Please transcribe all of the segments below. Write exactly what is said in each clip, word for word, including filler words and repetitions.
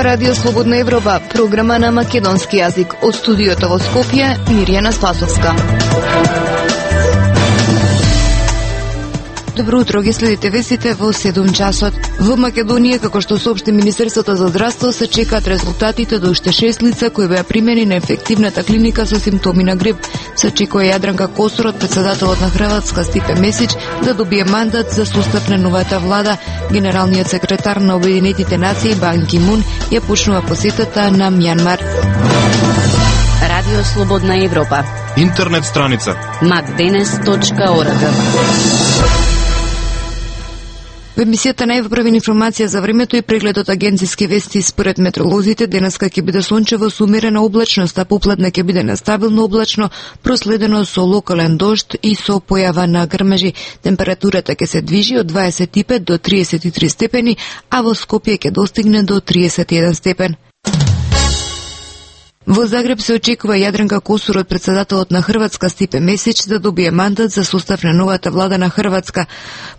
Радио Слободна Европа, програма на македонски јазик. Од студиото во Скопје, Мирјана Спасовска. Добро утро, ги следите вестите во седум часот. Во Македонија, како што соопшти Министерството за здравство, се чекаат резултатите до уште шест лица кои беа примени на ефективната клиника со симптоми на грип. Се очекува Јадранка Косурот, председателот на Хрватска Стипе Месич, да добие мандат за состав на новата влада. Генералниот секретар на Обединетите нации Бан Ки Мун ја почнува посетата на Мјанмар. Радио Слободна Европа. Интернет страница макденес точка орг. Во емисијата најправена информација за времето и преглед од агенциски вести. Според метеоролозите, денеска ќе биде сончево со умерена облачност, а попладне ќе биде нестабилно облачно, проследено со локален дожд и со појава на грмежи. Температурата ќе се движи од дваесет и пет до триесет и три степени, а во Скопје ќе достигне до триесет и еден степен. Во Загреб се очекува Јадранка Косурот, председателот на Хрватска Стипе Месич, да добие мандат за состав на новата влада на Хрватска.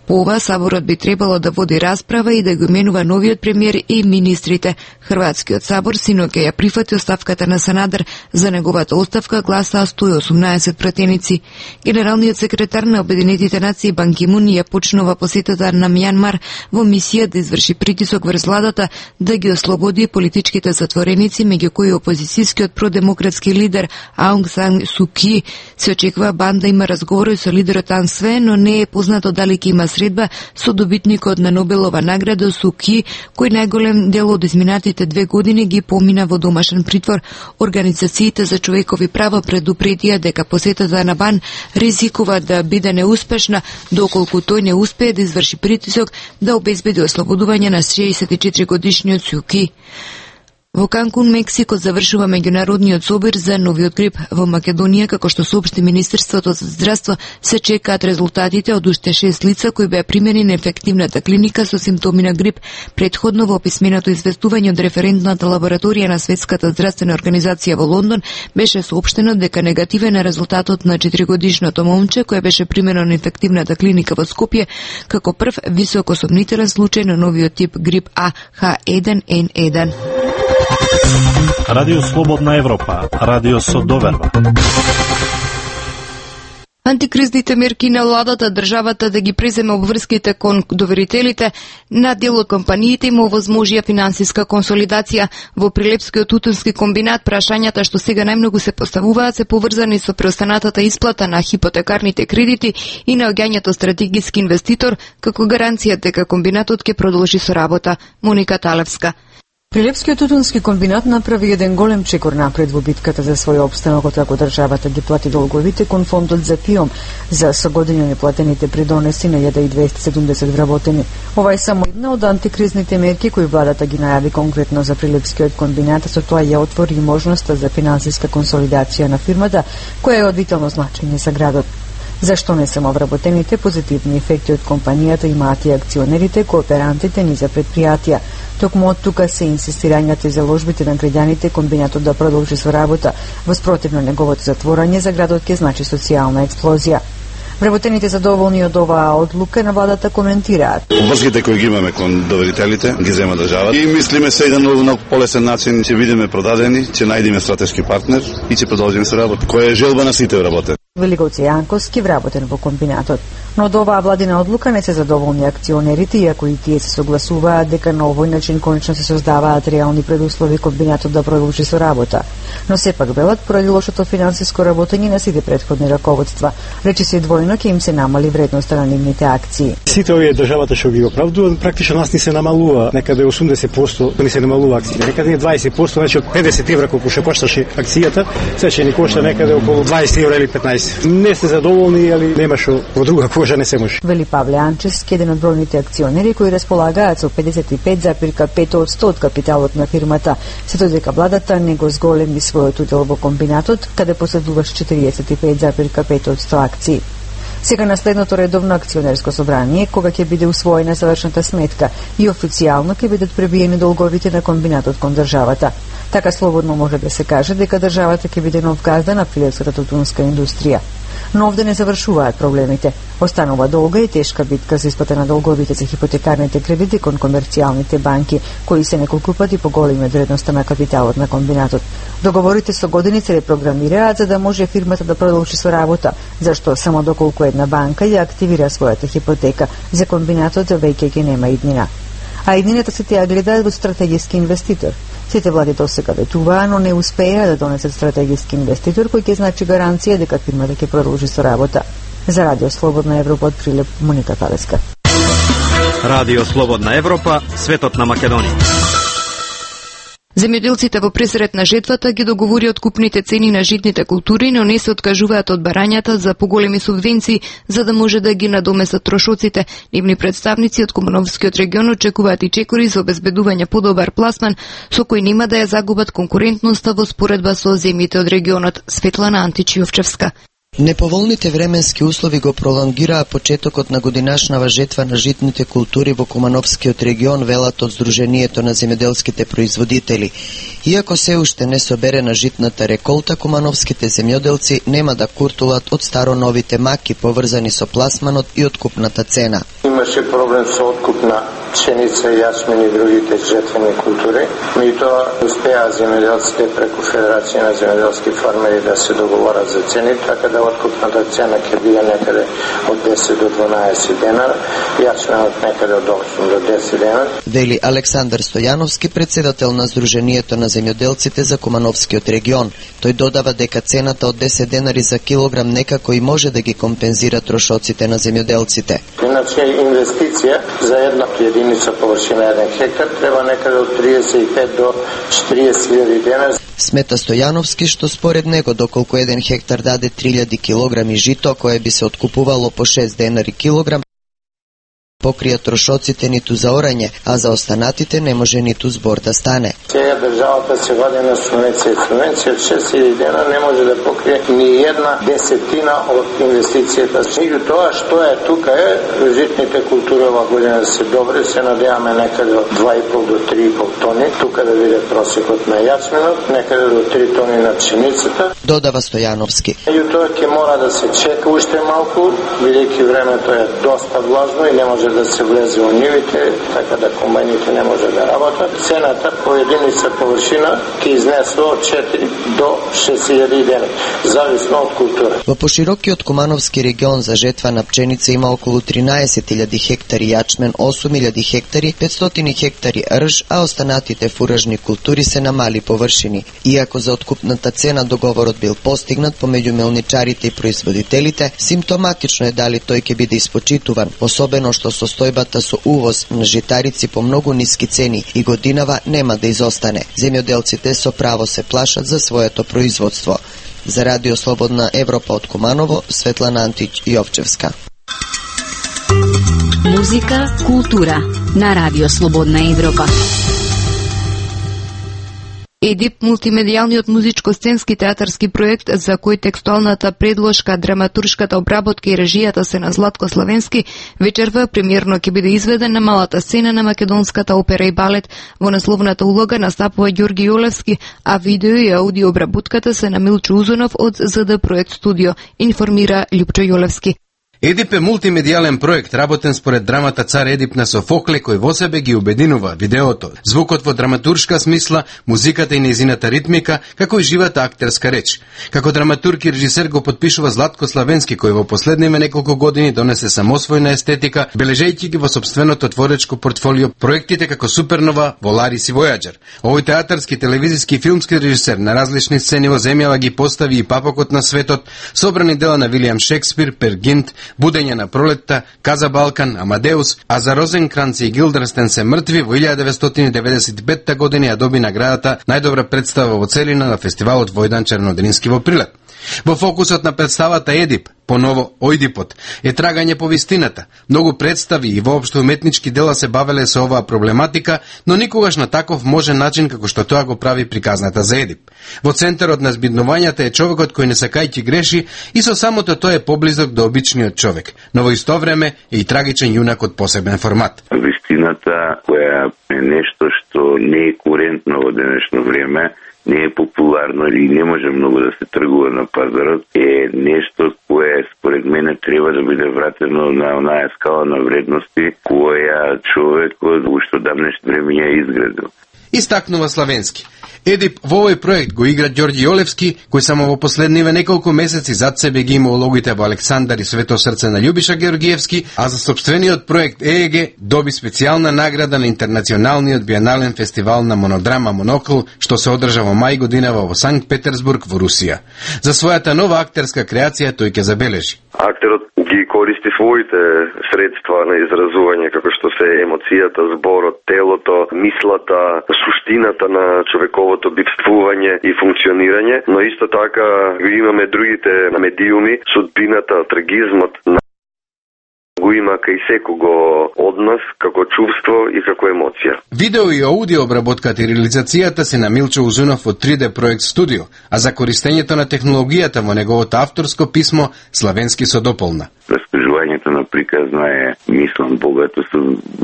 По ова, Саборот би требало да води расправа и да го именува новиот премиер и министрите. Хрватскиот Сабор синоќа ја прифати оставката на Санадер. За неговата оставка гласаа сто и осумнаесет пратеници. Генералниот секретар на Обединетите нации Бан Ки Мун ја почнува посетата на Мјанмар во мисија да изврши притисок врз владата да ги ослободи политичките затвореници, меѓу кои опозицијски од продемократски лидер Аунг Сан Су Ки. Се очекува Бан да има разговори со лидерот Ан Све, но не е познато дали ќе има средба со добитникот на Нобелова награда Су Ки, кој најголем дел од изминатите две години ги помина во домашен притвор. Организациите за човекови права предупредија дека посетата на Бан ризикува да биде неуспешна, доколку тој не успее да изврши притисок да обезбеди ослободување на шеесет и четири годишниот Су Ки. Во Канкун, Мексико, завршува меѓународниот собир за новиот грип. Во Македонија, како што соопшти Министерството за здравство, се чекаат резултатите од уште шест лица кои беа примени на ефективната клиника со симптоми на грип. Предходно во писменото известување од референтната лабораторија на Светската здравствена организација во Лондон беше соопштено дека негативен е резултатот на четиригодишното момче кое беше примено на ефективната клиника во Скопје како прв високосомнителен случај на новиот тип грип А Х еден Н еден. Радио Слободна Европа, радио со доверба. Антикризните мерки на владата државата да ги преземе обврските кон доверителите на дел од компаниите им овозможија финансиска консолидација. Во Прилепскиот тутунски комбинат прашањата што сега најмногу се поставуваат се поврзани со преостанатата исплата на хипотекарните кредити и наоѓањето стратегиски инвеститор како гаранција дека комбинатот ќе продолжи со работа. Моника Талевска. Прилепскиот тутунски комбинат направи еден голем чекор напред во битката за свој опстанок, откако државата ги плати долговите кон фондот за ПИОМ за согодина неплатените придонеси на илјада и двесте и седумдесет вработени. Ова е само една од антикризните мерки кои владата ги најави конкретно за Прилепскиот комбинат, со тоа ја отвори можноста за финансиска консолидација на фирмата, која е од витално значење за градот. Зашто не само вработените, позитивни ефекти од компанијата имаат и акционерите, кооперантите ни за предпријатија. Токму од тука се инсистирањето и заложбите на граѓаните комбинатот да продолжи со работа. Воспротивно неговото затворање за градот ќе значи социјална експлозија. Вработените задоволни од оваа одлука на владата коментираат. Обврските кои ги имаме кон доверителите ги зема државата и мислиме се на многу полесен начин ќе бидеме продадени, ќе најдеме стратешки партнер и ќе продолжиме со работа. Која е желба на сите вработени. Великовци Јанковски вработен во комбинатот. Но од оваа владина одлука не се задоволни акционерите, иако и тие се согласуваат дека на овој начин конечно се создаваат реални предуслови комбинатот да продолжи со работа. Но сепак велат поради лошото финансиско работење на сите претходни раководства, речи се двојно ќе им се намали вредноста на нивните акции. Сите овие државата што ги оправдуваат, практично нас ни се намалува, некаде осумдесет проценти ни се намалува акциите, некаде дваесет проценти, значи од педесет евра колку што кошташе акцијата, се ќе ни кошта некаде околу дваесет евра или петнаесет. Не сте задоволни, али нема што во друга кожа не се може. Вели Павле Анчевски, еден од бројните акционери кои располагаат со педесет и пет зарез пет одсто од капиталот на фирмата, се додека владата не го зголеми својот удел во комбинатот, каде поседуваш четириесет и пет зарез пет одсто акции. Сега на следното редовно акционерско собрание, кога ќе биде усвоена завршната сметка и официјално ќе бидат пребиени долговите на комбинатот кон државата. Така слободно може да се каже дека државата ќе биде нов газда на прилепската тутунска индустрија. Но овде не завршуваат проблемите. Останува долга и тешка битка за исплата на долговите за хипотекарните кредити кон комерцијалните банки, кои се неколку пати поголеми од вредноста на капиталот на комбинатот. Договорите со години се репрограмираат за да може фирмата да продолжи со работа, зашто само доколку една банка ја активира својата хипотека, за комбинатот веќе ќе нема иднина. А иднината се тие гледаат во стратегиски инвеститор. Сите влади досега ветуваа, но не успеа да донесат стратегиски инвеститор кој ќе значи гаранција дека фирмата ќе продолжи со работа. За Радио Слободна Европа од Прилеп, Моника Талеска. Радио Слободна Европа, светот на Македонија. Земјоделците во пресрет на жетвата ги договори откупните цени на житните култури, но не се откажуваат од барањата за поголеми субвенции за да може да ги надоместат трошоците. Нивни представници од Кумановскиот регион очекуваат и чекори за обезбедување подобар пласман со кој нема да ја загубат конкурентноста во споредба со земјите од регионот. Светлана Античиовчевска. Неповолните временски услови го пролонгираа почетокот на годинашнава жетва на житните култури во Кумановскиот регион, велат од Сдруженијето на земјоделските производители. Иако се уште не собере на житната реколта, кумановските земјоделци нема да куртулат од старо-новите маки поврзани со пласманот и откупната цена. Имаше проблем со откуп на пшеница, јачмин и другите жетвени култури, меѓутоа успеа земјоделците преку Федерација на земјоделски фармери да се договорат за цени, така да откупната цена ќе биде некаде од десет до дванаесет денара, јачменот некаде од осум до десет денара. Вели Александар Стојановски, председател на Сдруженијето на земјоделците за Кумановскиот регион. Тој додава дека цената од десет денари за килограм некако и може да ги компензира трошоците на земјоделците. Иначе инвестиција за една единица површина еден хектар треба некаде од триесет и пет до четириесет илјади денари. Смета Стојановски што според него доколку еден хектар даде три илјади килограми жито кое би се откупувало по шест денари килограм, покрија трошоците ниту за орање, а за останатите не може ниту збор да стане. Сега државата се вади на субвенција, субвенција од шест илјади денара не може да покрие ни една десетина од инвестицијата. Меѓутоа што е тука е житните култури ова година се добри, се надеваме некаде од два и пол до три и пол тони, тука да биде просекот на јачменот, некаде до три тони на пшеницата. Додава Стојановски. Меѓутоа ќе мора да се чека уште малку, бидејќи времето е доста влажно и не може да се влезе во нивите, така да комбајните не може да работат. Цената по единица површина ќе изнесе од четири до шест илјади денари, зависно од култура. Во поширокиот Кумановски регион за жетва на пченица има околу тринаесет илјади хектари јачмен, осум илјади хектари, петстотини хектари рж, а останатите фуражни култури се на мали површини. Иако за откупната цена договорот бил постигнат помеѓу мелничарите и производителите, симптоматично е дали тој ќе биде испочитуван, особено што состојбата со увоз на житарици по многу ниски цени и годинава нема да изостане. Земјоделците со право се плашат за своето производство. За Радио Слободна Европа од Куманово, Светлана Антич Јовчевска. Музика, култура на Радио Слободна Европа. ЕДИП, мултимедијалниот музичко-сценски театарски проект за кој текстуалната предложка, драматуршката обработка и режијата се на Златко Славенски, вечерва премиерно ќе биде изведен на малата сцена на македонската опера и балет. Во насловната улога настапува Ѓорги Јолевски, а видео и аудио обработката се на Милчо Узунов од ЗД Проект Студио, информира Љупчо Јолевски. ЕДИП е мултимедијален проект работен според драмата Цар Едип на Софокле, кој во себе ги обединува видеото, звукот во драматуршка смисла, музиката и нејзината ритмика, како и живата актерска реч. Како драматург и режисер го подпишува Златко Славенски, кој во последниве неколку години донесе самосвојна естетика, бележејќи ги во сопственото творечко портфолио проектите како Супернова, Воларис и Војаџер. Овој театарски, телевизиски и филмски режисер на различни сцени во земјава ги постави и папокот на светот, собрани дела на Вилијам Шекспир, Пер Гинт, Будење на пролетта, Каза Балкан, Амадеус, а за Розенкранц и Гилдерстен се мртви во илјада деветстотини деветдесет и петта година ја доби наградата најдобра представа во целина на фестивалот Војдан Чернодрински во Прилеп. Во фокусот на представата ЕДИП, поново Ојдипот, е трагање по вистината. Многу представи и воопшто уметнички дела се бавеле со оваа проблематика, но никогаш на таков можен начин како што тоа го прави приказната за ЕДИП. Во центарот на збиднувањата е човекот кој не сакајќи греши и со самото тоа е поблизок до обичниот човек, но во исто време е и трагичен јунак од посебен формат. Вистината која е нешто што што не е курентно во денешно време, не е популарно и не може многу да се тргува на пазарот, е нешто кое според мене треба да биде вратено на онаа скала на вредности која човекот уште давнешно време ја изградил. Истакнува Славенски. Едип во овој проект го игра Ѓорѓи Јолевски, кој само во последниве неколку месеци зад себе ги има улогите во Александар и Свето срце на Љубиша Георгиевски, а за сопствениот проект ЕЕГ доби специјална награда на Интернационалниот биенален фестивал на монодрама Монокл, што се одржа во мај годинава во Санкт Петерсбург во Русија. За својата нова актерска креација тој ќе забележи. Актерот ги користи своите средства на изразување, како што се емоцијата, зборот, телото, мислата, суштината на човековото бивствување и функционирање, но исто така имаме другите медиуми, судбината, трагизмот на го има кај секого од нас како чувство и како емоција. Видео и аудио обработката и реализацијата се на Милчо Узунов од три Д проект студио, а за користењето на технологијата во неговото авторско писмо Славенски со дополна. Раскажувањето на приказна е, мислам, богато со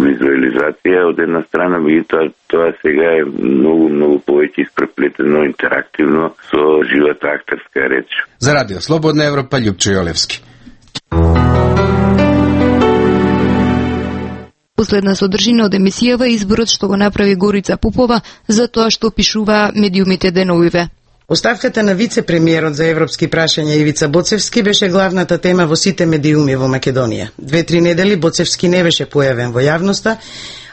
визуализација од една страна, меѓутоа тоа сега е многу, многу повеќе испреплетено, интерактивно со живата актерска реч. За Радио Слободна Европа, Љупчо Јолевски. Последна содржина од емисијава изборот што го направи Горица Попова за тоа што пишува медиумите деновиве. Оставката на вице-премиерот за европски прашања Ивица Боцевски беше главната тема во сите медиуми во Македонија. Две-три недели Боцевски не беше појавен во јавноста,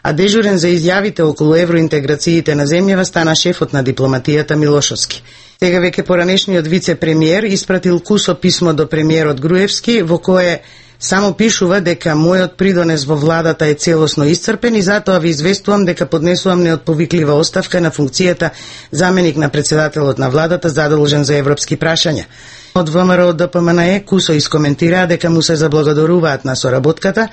а дежурен за изјавите околу евроинтеграциите на земјава стана шефот на дипломатијата Милошовски. Сега веќе поранешниот вице-премиер испратил кусо писмо до премиерот Груевски во кое само пишува дека мојот придонес во владата е целосно исцрпен и затоа ви известувам дека поднесувам неотповиклива оставка на функцијата заменик на председателот на владата задолжен за европски прашања. Од ВМРО ДПМНЕ кусо искоментираа дека му се заблагодаруваат на соработката,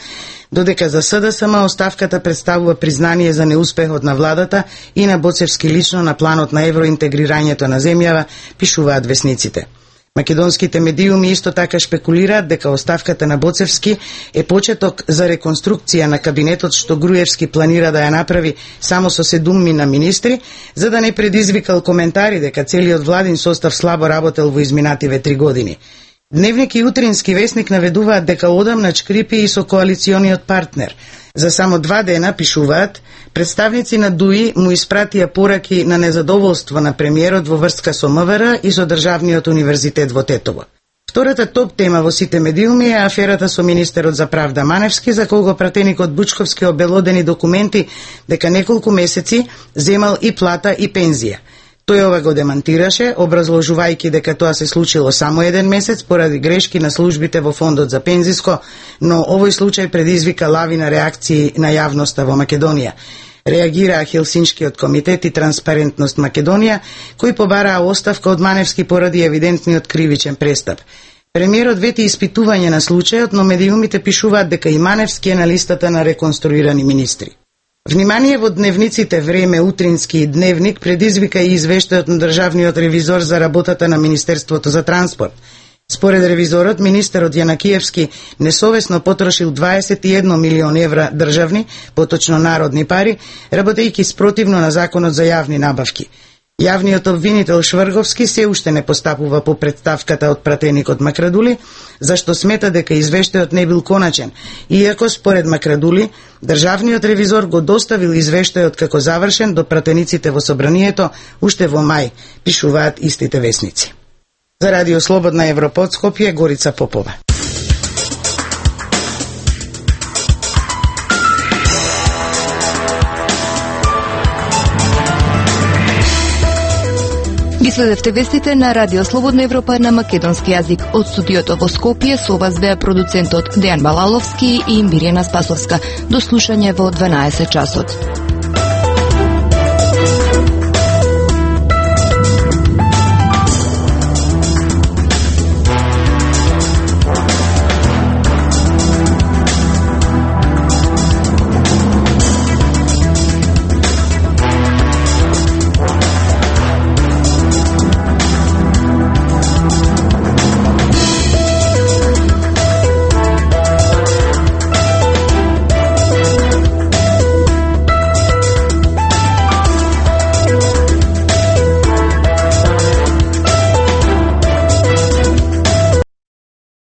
додека за СДСМ оставката представува признание за неуспехот на владата и на Боцевски лично на планот на евроинтегрирањето на земјава, пишуваат весниците. Македонските медиуми исто така шпекулираат дека оставката на Боцевски е почеток за реконструкција на кабинетот што Груевски планира да ја направи само со седуммина министри, за да не предизвикал коментари дека целиот владин состав слабо работел во изминативе три години. Дневник и Утрински весник наведуваат дека одамна чкрипи и со коалициониот партнер. За само два дена, пишуваат, представници на ДУИ му испратија пораки на незадоволство на премиерот во врска со МВР и со Државниот универзитет во Тетово. Втората топ тема во сите медиуми е аферата со министерот за правда Маневски, за кого пратеникот Бучковски обелодени документи дека неколку месеци земал и плата и пензија. Тој ова го демантираше, образложувајќи дека тоа се случило само еден месец поради грешки на службите во фондот за пензиско, но овој случај предизвика лавина реакции на јавноста во Македонија. Реагираа Хелсиншкиот комитет и Транспарентност Македонија, кои побараа оставка од Маневски поради евидентниот кривичен престап. Премиерот вети испитување на случајот, но медиумите пишуваат дека и Маневски е на листата на реконструирани министри. Внимание во дневниците Време, Утрински и Дневник предизвика и извештајот на државниот ревизор за работата на Министерството за транспорт. Според ревизорот, министерот Јанакиевски несовесно потрошил дваесет и еден милион евра државни, поточно народни пари, работејќи спротивно на законот за јавни набавки. Јавниот обвинител Шврговски се уште не постапува по претставката од пратеникот Макрадули, зашто смета дека извештајот не бил коначен, иако според Макрадули, државниот ревизор го доставил извештајот како завршен до пратениците во собранието уште во мај, пишуваат истите весници. За Радио Слободна Европа од Скопје, Горица Попова. Ги следевте вестите на Радио Слободна Европа на македонски јазик. Од студиото во Скопје со вас беа продуцентот Дејан Балаловски и Мирјана Спасовска. До слушање во дванаесет часот.